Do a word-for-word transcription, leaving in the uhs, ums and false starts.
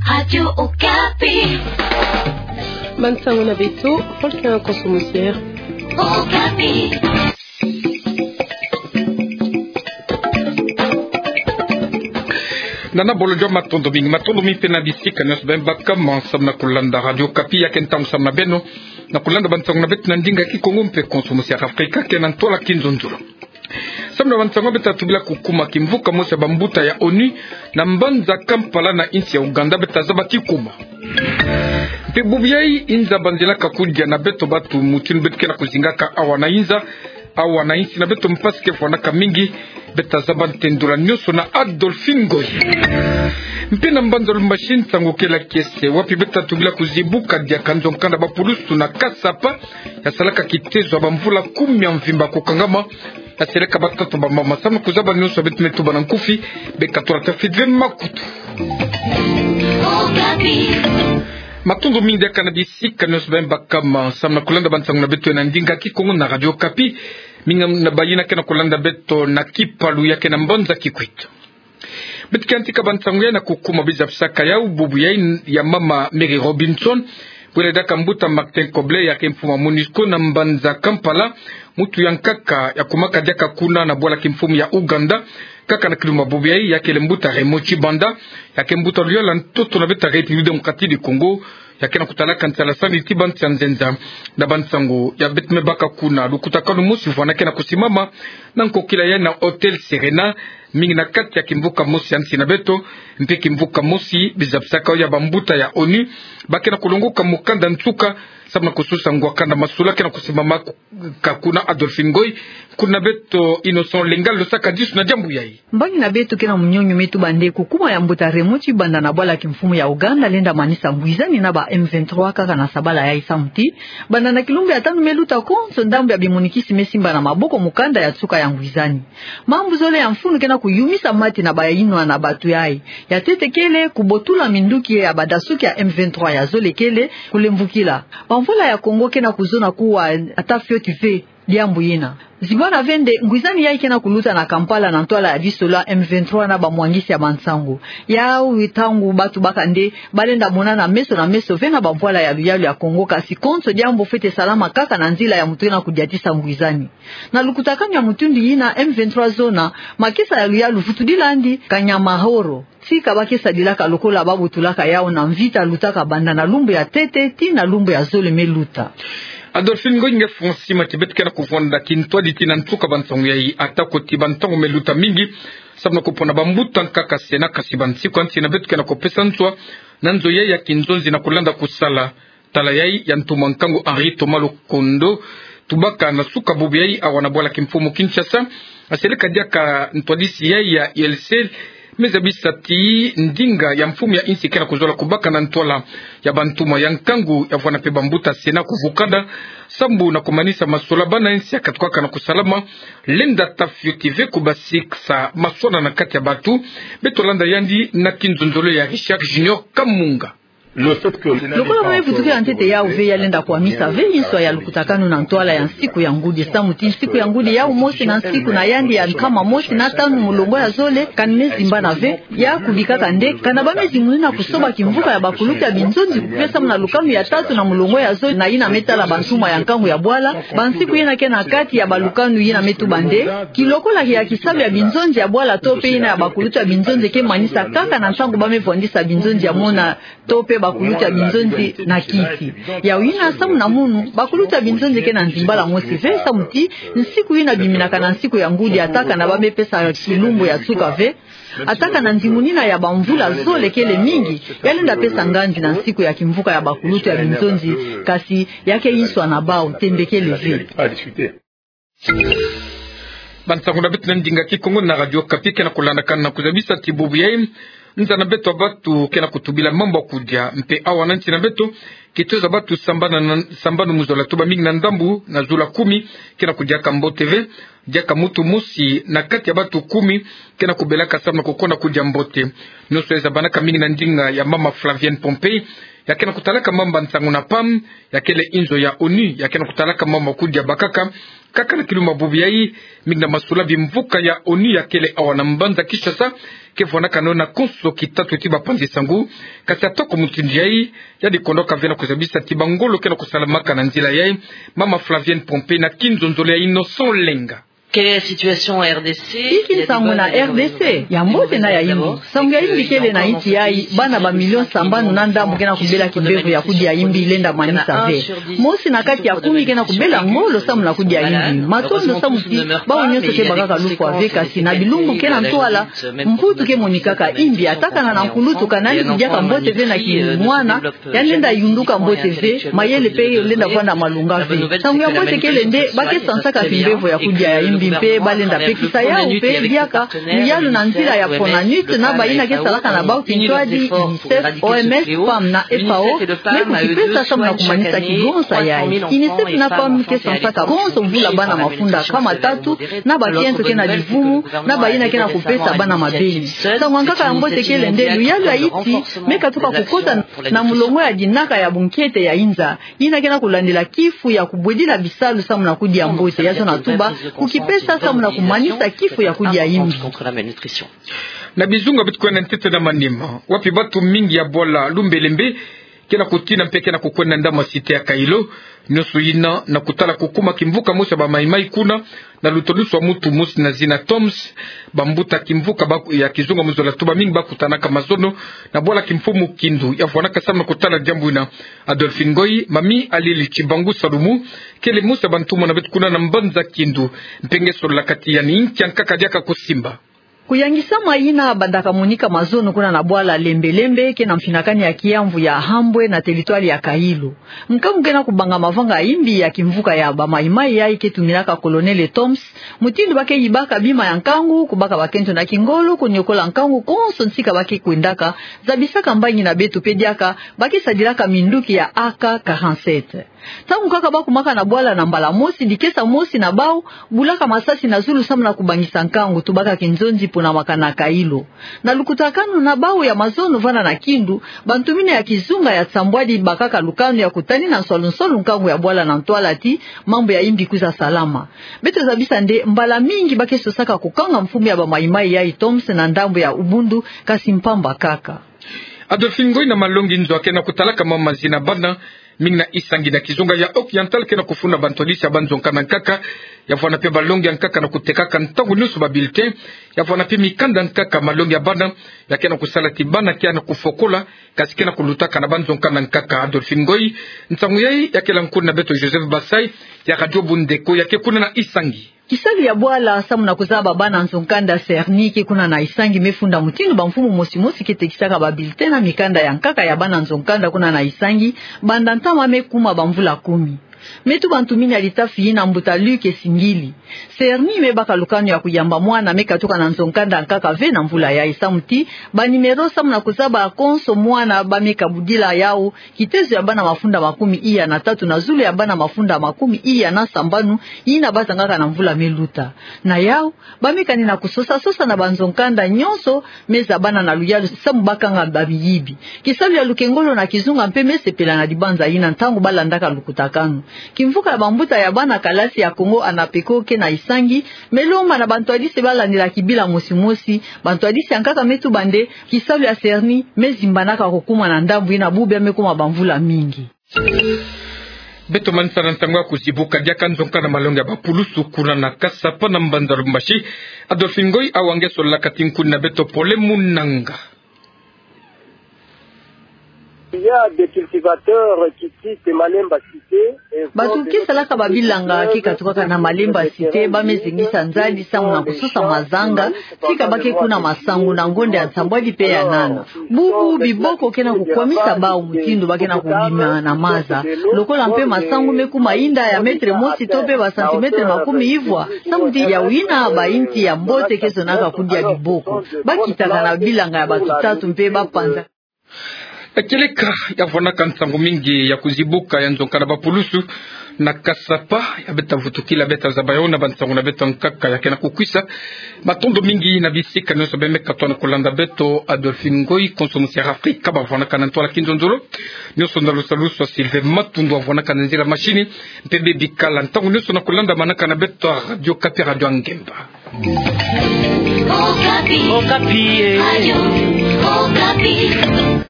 Radio Okapi. Bansango na beto, Voltaire Konso Mosier. Okapi. Nana Bolodjwa, matondo mingi, matondo mingi mpe na bisika nyonso beno baka ma samu na kulanda Radio Okapi. Ya ke ntangu samu na beno na kulanda bansango na beto na ndinga Kikongo mpe Konso Mosier Afrika, ke na ntwala kinzonzolo. Samu na bansango, beta tubila kukuma kimvuka mosi ya bambuta ya ONU na mbanza Kampala na insi ya Ouganda, beta zaba kikuma. Mpe bubu yayi, inza banzila ka kudia na beto batu mutindu beto ke na kuzingaka awa na inza, awa na insi na beto, mpasi ke fwanaka mingi. Beta zaba ntendola nyonso na Adolphine Ngoy. Mpe na mbanza Lubumbashi, nsangu kela kiese, wapi beta tubila kuzibuka diaka nzo nkanda ba pulusu na Kasapa, ya salaka kitezo ya bamvula kumi ya mvimba kukangama, ya seleka batata, bamama, samu na kuzaba nyonso ya beto me tuba na nkufi. Beka tula tafiti ve makutu. Matondo mingi diaka na bisika nyonso beno baka ma samu na kulanda bansango na beto na ndinga Kikongo na Radio Okapi. Mingi na bayina ke na kulanda beto na Kipalu, ya ke na mbanza Kikwit. Beto ke yantika bansango yayi na kukuma biza bisaka yau, bubu yayi ya mama Mary Robinson, bwela diaka mbuta Martin Kobler, ya ke mfumu ya MONUSCO na mbanza Kampala, mutu ya nkaka ya kumaka diaka kuna na bwala kimfumu ya Ouganda. Kaka na kilumbu ya bubu yayi, ya kele mbuta Raymond Tshibanda, ya ke mbuta luyalu ya ntoto na beta République Démocratique du Congo, ya ke na kutalaka nsala sani ti bansi ya nzenza. Na bansango ya beto me baka kuna, lukutakanu mosi vwanda ke na kusimama na nkokila yayi na Hôtel Serena, mingi na kati ya kimvuka mosi ya nsi na beto, mpe kimvuka mosi biza bisaka ya bambuta ya ONU ba ke na kulongoka mukanda nsuka, samu na kususa ngwa kanda masolo ke na kusimama ku-, ka kuna. Adolphine Ngoy, nkuna beto Innocent Lenga losaka disu na diambu yayi. Mbangi na beto ke na munyonyo me tuba nde kukuma ya mbuta Raymond Tshibanda na bwala kimfumu ya Ouganda lenda manisa ngwizani na ba M vingt-trois kaka na sabala yayi, samu ti banda na kilumbu ya tanu me luta konso, ndambu ya bimunikisi me simba na maboko mukanda ya nsuka ya ngwizani. Mambu zole ya mfunu ke na kuyumisa mati na bayinwa na batu yayi. Ya ntete kele kubotula minduki ya badasuki ya M vingt-trois. Ya zole kele kulemvukila. Bamvwala ya Kongo ke na kuzona kuwa ata fioti ve diambu yina. Zibwana ve nde ngwizani yayi ke na kuluta na Kampala na ntwala ya bisola M vingt-trois na bamwangisi ya bansangu. Yau ntangu batu baka nde balenda monana meso na meso ve na bamvwala ya luyalu ya Kongo, kasi konso diambu fwete salama kaka na nzila ya mutu ke na kudiatisa ngwizani. Na lukutakanu ya mutindu yina, M vingt-trois zona makesa ya luyalu vutudila yandi kanyamahoro. Tika ba ke sadilaka lokola ba botulaka yau na mvita lutaka banda na lumbu ya ntete tii na lumbu ya zole me luta. Adolphine Ngoy, nge fwansi mati. Beto ke na kuvwanda kintwadi tii na nsuka bansangu yayi, ata ko ti bantangu me luta mingi samu na kupona bambuta nkaka sena, kasi bansiku ya nsi na beto ke na kupesa nswa na nzo yayi ya kinzonzi na kulanda kusala. Tala yayi ya ntumwa nkangu Henri Thomas Lokondo, tubaka na suka bubu yayi awa na bwala kimfumu Kinshasa, aseleka diaka ntwadisi yayi ya I L C, me zabisa ti ndinga ya mfumu ya insi ke na kuzola kubaka na ntwala ya bantumwa ya nkangu ya vwanda mpe bambuta sena kuvukana, sambu na kumanisa masola bana insi ya katukaka na kusalama, lenda ata fioti ve kubasikisa maswala na kati ya batu. Beto landa yandi na kinzonzolo ya Richard Junior Kamunga. Lokola ba me vutukila ntete yau ve, ya lenda kwamisa ve inswa ya lukutakanu na ntwala ya nsiku ya ngudi, samu ti nsiku ya ngudi yau mosi na nsiku na yandi ya nkama mosi na tanu mulongo ya zole, kani me zimbana ve. Ya kubikaka nde kana ba me zimbana kusoba kimvuka ya bakulutu ya binzonzi kupe samu na lukanu ya tatu na mulongo ya zole, na yina me tala bantumwa ya nkangu ya bwala. Bansiku yina ke na kati ya balukanu yina me tuba nde kilokola ya kisalu ya binzonzi ya bwala to pe yina ya bakulutu ya binzonzi ke manisa kaka na ntangu ba me vwandisa binzonzi ya mona to pe bakulutu ya binzonzi na kisi. Yau yina samu na munu, bakulutu ya binzonzi ke na nzimbala mosi ve, samu ti nsiku yina biminaka na nsiku ya ngudi, ata kana ba me pesa kilumbu ya nsuka ve, ata kana nzimunina ya bamvula zole kele mingi, ya lenda pesa nganzi na nsiku ya kimvuka ya bakulutu ya binzonzi, kasi ya ke inswa na bau, tembe kele ve. Bansangu na beto na ndinga Kikongo na Radio Okapi ke na kulandakana na kuzabisa ti bubu yayi, nza na beto ya batu ke na kutubila mambu ya kudia, mpe awa na nsi na beto, kitezo ya batu sambanu na, sambanu mu zola, tuba mingi na ndambu na zola kumi, ke na kudiaka mbote ve. Diaka mutu mosi na kati ya batu kumi ke na kubelaka samu na kukonda kudia mbote. Nyonso yayi zabanaka mingi na ndinga ya mama Flavienne Pompey, ya ke na kutalaka mambu ya nsangu na PAM, ya kele inzo ya ONU, ya ke na kutalaka mambu ya kudia bakaka. Kaka na kilumbu ya bubu yayi, mingi na masola bimvuka ya ONU ya kele awa na mbanza Kinshasa, ke vwanakana na konso kitatu ti bapanzi sangu. Kasi atako mutindu yayi, yandi kondoka ve na kuzabisa ti bangolo ke na kusalamaka na nzila yayi, Mama Flavienne Pompée na kinzonzolo ya Innocent Lenga. Quelle est la situation en R D C? Inki nsangu na R D C? Ya mbote na ya yimbi. Nsangu ya yimbi kele na insi yayi, bana ba million sambanu na ndambu ke na kubela kimbevo ya kudia yimbi lenda manisa ve. Mosi na kati ya kumi ke na kubela ngolo samu na kudia yimbi. Matondo samu ti bawu nyonso ke bakaka lufwa ve, kasi na bilumbu ke na ntwala, mputu ke monikaka yimbi, atakana na nkulutu, ka nani kidiaka mbote ve na kimwana, ya lenda yunduka mbote ve, mayele pe lenda vwanda malonga ve. Nsangu ya mbote kele nde ba ke sansaka kimbevo ya kudia ya yimbi mpe ba lenda pekisa yawu mpe diaka luyalu na nzila ya Fonanut na bayina ke salaka na bawu kintwadi, UNICEF, O M S, PAM na FAO, me kukipesa samu na kumanisa kigonsa yayi. UNICEF na PAM ke sansaka konso mvula bana mafunda nkama tatu, na bakento ke na livumu, na bayina ke na kupesa bana mabeni. Nsangu ya nkaka ya mbote kele nde luyalu ya insi me katuka kukota na mulongo ya dinaka ya bunkete ya inza, yina ke na kulandila kifu ya kubwedila bisalu samu na kudia mbote, ya zona tuba kukipesa samu na kumanisa kifu ya kudia yimbi. Na bizunga beto kwenda ntete na Maniema, wapi batu mingi ya bwala Lumbelembe ke na kutina mpe ke na kukwenda ndambu ya site ya Kailo. Nyonso yina na kutala kukuma kimvuka mosi ya ba Maï-Maï kuna, na lutaduswa mutu mosi na zina Toms. Bambuta kimvuka ba-, ya kizunga mu zola tuba mingi bakutanaka mazono na bwala kimfumu Kindu. Ya vwanaka samu na kutala diambu yina, Adolphine Ngoy, Mami Alili Tshibangu Salumu, kele mosi ya bantumwa na beto kuna na mbanza Kindu. Mpe nge sololaka ti ya ni nkia nkaka diaka kusimba. Kuyangisama yina bandaka monika mazono kuna na bwala Lembelembe, ke na mfinakani ya kiamvu ya Hambwe na teritware ya Kailo. Nkangu ke na kubanga mavanga ya yimbi ya kimvuka ya ba Maï-Maï yayi ke tuminaka Colonel Toms, mutindu ba ke yibaka bima ya nkangu, kubaka bakento na kingolo, kuniokola nkangu konso nsika ba ke kwendaka, zabisaka mbangi na beto mpe diaka ba ke sadilaka minduki ya A K quarante-sept. Ntangu kaka bakumaka na bwala na mbala mosi, dikesa mosi na bawu bulaka masasi na zulu samu na kubangisa nkangu, tubaka kinzonzi pona makana Kailo. Na lukutakanu na bawu ya mazono vanda na Kindu, bantu mina ya kizunga ya nsambwadi bakaka lukanu ya kutanina nswalu-nswalu nkangu ya bwala na ntwala ti mambu ya yimbi kwiza salama. Beto zabisa nde mbala mingi ba ke sosaka kukanga mfumu ya ba Maï-Maï yayi Toms na ndambu ya Ubundu, kasi mpamba kaka. Adolphine Ngoy, na malongi nzo ke na kutalaka mama zina bana mingi na Isangi na kizunga ya Occidental ke na kufunda bantwadisi ya banzo nkanda nkaka. Ya vwanda mpe balongi ya nkaka na kutekaka ntangu nyonso ba bulletin. Ya vwanda mpe mikanda nkaka, malongi ya bana ya ke na kusala ti bana ke na kufokola, kasi ke na kulutaka na banzo nkanda nkaka. Adolphine Ngoy, nsangu yayi ya kela nkuna na beto Joseph Basai ya Radio Bundeko ya ke kuna na Isangi. Kisalu ya bwala samu na kuzaba bana nzo nkanda CERNI ke kuna na Isangi me funda mutindu bamfumu mosi mosi ke tekisaka ba bulletin na mikanda ya nkaka ya bana nzo nkanda kuna na Isangi, banda ntama me kuma bamvula kumi. Me tuba ntumini ya litafi yina mbuta Luc Singili. CERNI me baka lukanu ya kuyamba mwana me katuka na nzo nkanda nkaka ve na mvula yayi, samu ti ba numéro samu na kuzaba konso mwana ba me kabudila yawu, kitezo ya bana mafunda makumi iya na tatu na zulu ya bana mafunda makumi iya na sambanu yina ba zangaka na mvula me luta. Na yawu, ba me kani na kusosa-sosa na banzo nkanda nyonso me zabana na luyalu samu ba kanga bamiyibi. Kisalu ya lukengolo na kizunga mpe me sepela na dibanza yina ntangu ba landaka lukutakanu. Kimvuka ya bambuta ya bana kalasi ya Kongo Anapeko ke na Isangi me lomba na bantwadisi ba landila kibila mosi mosi. Bantwadisi ya nkaka me tuba nde kisalu ya CERNI me zimbanaka kukuma na ndambu yina bubu ya me kuma bamvula mingi. Beto manisa na ntangu ya kuzibuka diaka nzo nkanda malongi ya bapulusu kuna na Kasapa na mbanza Lubumbashi. Adolphine Ngoy, awa nge sololaka ti nkuni na beto pole munanga. Il y a des cultivateurs qui quittent Malemba Cité. Bato ke salaka ba bilanga ke katukaka na Malemba Cité ba me zengisa nzadi samu na kusosa mazanga, tika ba ke kuna masangu na ngonda ya nsambwadi mpe ya nana. Bubu biboko ke na kukwamisa bawu mutindu ba ke na kubima na maza. Lokola mpe masangu me kuma inda ya mètre mosi to mpe ba centimètre makumi ivwa, samu ti yawu yina ba inti ya mbote ke zonaka kudia biboko. Ba kitaka na bilanga ya bato tatu mpe ba panza. Kieleka ya vwanaka nsangu mingi ya kuzibuka ya nzonka na bapulusu na Kasapa, ya beta vutukila, beta zaba yo na bansangu na beto ya nkaka ya kena kukwisa. Matondo mingi na bisika nyonso bemeka tona kulanda beto. Adolphine Ngoyi, konso musi ya Afrika, bavwanaka na ntwala kinzonzolo. Nyonso na lusalusu ya Sylvain Matundu, avwanaka na nzila mashini. Mpe bebikala ntangu nyonso na kulanda manaka na beto ya Radio Okapi, Radio ya Ngemba. Okapi. Okapi, eh. Radio Okapi.